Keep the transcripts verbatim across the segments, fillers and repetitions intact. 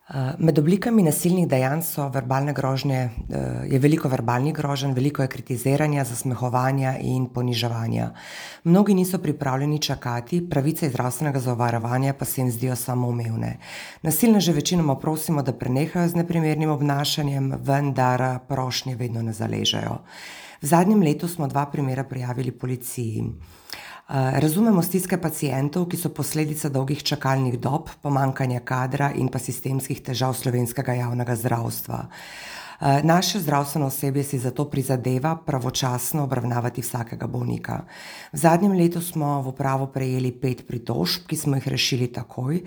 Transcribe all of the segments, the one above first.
Uh, Med oblikami nasilnih dejanj so verbalne grožnje, uh, je veliko verbalnih groženj, veliko je kritiziranja, zasmehovanja in poniževanja. Mnogi niso pripravljeni čakati, pravice iz zdravstvenega zavarovanja pa se jim zdijo samoumevne. Nasilneže večinoma prosimo, da prenehajo z neprimernim obnašanjem, vendar prošnje vedno ne zaležejo. V zadnjem letu smo dva primera prijavili policiji. Razumemo stiske pacientov, ki so posledica dolgih čakalnih dob, pomanjkanja kadra in pa sistemskih težav slovenskega javnega zdravstva. Naše zdravstveno osebje si zato prizadeva pravočasno obravnavati vsakega bolnika. V zadnjem letu smo v upravo prejeli pet pritožb, ki smo jih rešili takoj.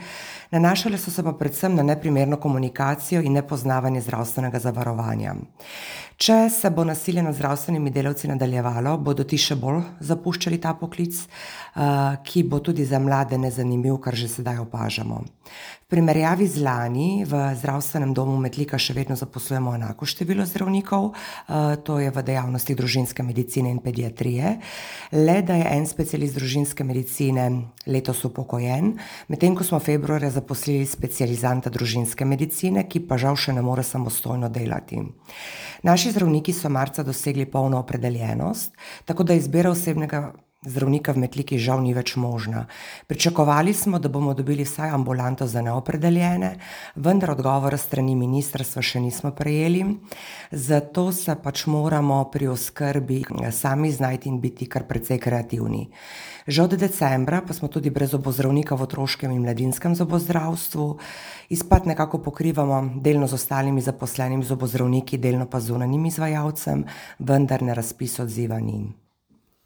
Nanašale so se pa predvsem na neprimerno komunikacijo in nepoznavanje zdravstvenega zavarovanja. Če se bo nasilje nad zdravstvenimi delavci nadaljevalo, bodo ti še bolj zapuščali ta poklic, ki bo tudi za mlade nezanimiv, kar že sedaj opažamo. V primerjavi z lani v zdravstvenem domu Metlika še vedno zaposlujemo enako število zdravnikov, to je v dejavnostih družinske medicine in pediatrije, le da je en specialist družinske medicine letos upokojen, medtem ko smo februarja zaposlili specializanta družinske medicine, ki pa žal še ne more samostojno delati. Naši zdravniki so marca dosegli polno opredeljenost, tako da izbira osebnega zdravnika v Metliki žal ni več možna. Pričakovali smo, da bomo dobili vsaj ambulanto za neopredeljene, vendar odgovora s strani ministrstva še nismo prejeli, zato se pač moramo pri oskrbi sami znajti in biti kar precej kreativni. Že od decembra pa smo tudi brez zobozdravnika v otroškem in mladinskem zobozdravstvu. Izpad nekako pokrivamo delno z ostalimi zaposlenimi zobozdravniki, delno pa z zunanjim izvajalcem, vendar na razpis odziva ni.